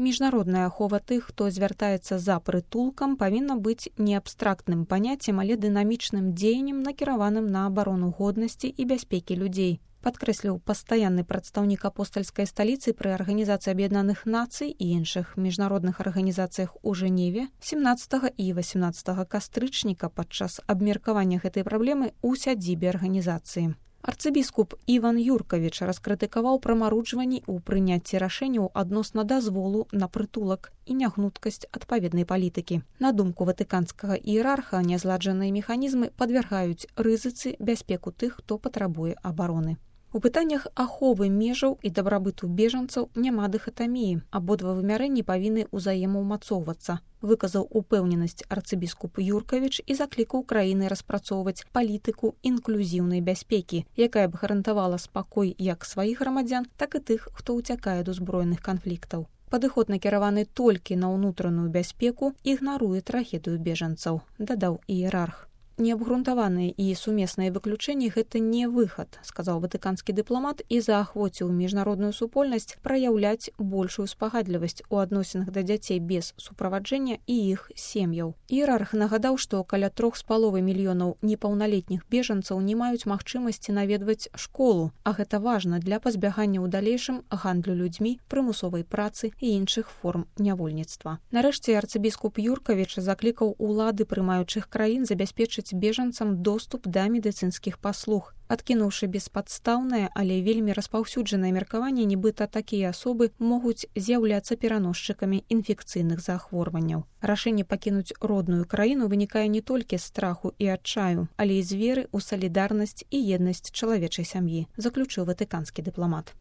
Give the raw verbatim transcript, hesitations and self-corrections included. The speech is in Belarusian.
Міжнародная ахова тых, хто звяртаецца за прытулкам, павінна быць не абстрактным паняццем, але дынамічным дзеяннем, накіраваным на абарону годнасці і бяспекі людзей. Падкрэсліў пастаянны прадстаўнік апостальскай сталіцы пры Арганізацыі Аб'яднаных Нацый і іншых міжнародных арганізацыях у Жэневе семнаццатага і васямнаццатага кастрычніка падчас абмеркавання гэтай праблемы ў сядзібе арганізацыі. Арцыбіскуп Іван Юркавіч раскрытыкаваў прамаруджванні ў прыняцці рашэнняў адносна дазволу на прытулак і нягнуткасць адпаведнай палітыкі. На думку ватыканскага іерарха, нязладжаныя механізмы падвяргаюць рызыцы бяспеку тых, хто патрабуе абароны. У пытаннях аховы межаў і дабрабыту бежанцаў няма дыхатаміі. Абодва вымярэнні павінны ўзаемаўмацоўвацца. Выказаў упэўненасць арцыбіскуп Юркавіч і заклікаў краіны распрацоўваць палітыку інклюзіўнай бяспекі, якая б гарантавала спакой як сваіх грамадзян, так і тых, хто ўцякае ад узброеных канфліктаў. Падыход накіраваны толькі на ўнутраную бяспеку, ігнаруе трагедыю бежанцаў, дадаў іерарх. Неабгрунтаваныя і сумесныя выключэнні – гэта не выхад, сказаў ватыканскі дыпламат і заахвоціў міжнародную супольнасць праяўляць большую спагадлівасць у адносінах да дзяцей без суправаджэння і іх сем'яў. Іерарх нагадаў, што каля трох з паловай мільёнаў непаўналетніх бежанцаў не маюць магчымасці наведваць школу, а гэта важна для пазбягання ў далейшым гандлю людзьмі, прымусовай працы і іншых форм нявольніцтва. Нарэшце арцыбіскуп Юркавіч заклікаў улады прымаючых краін забяспечыць бежанцам доступ да медыцынскіх паслуг, адкінуўшы беспадстаўнае, але вельмі распаўсюджанае меркаванне, нібыта такія асобы могуць з'яўляцца пераносчыкамі інфекцыйных захворванняў. Рашэнне пакінуць родную краіну вынікае не толькі з страху і адчаю, але і з веры ў салідарнасць і еднасць чалавечай сям'і, заключыў ватыканскі дыпламат.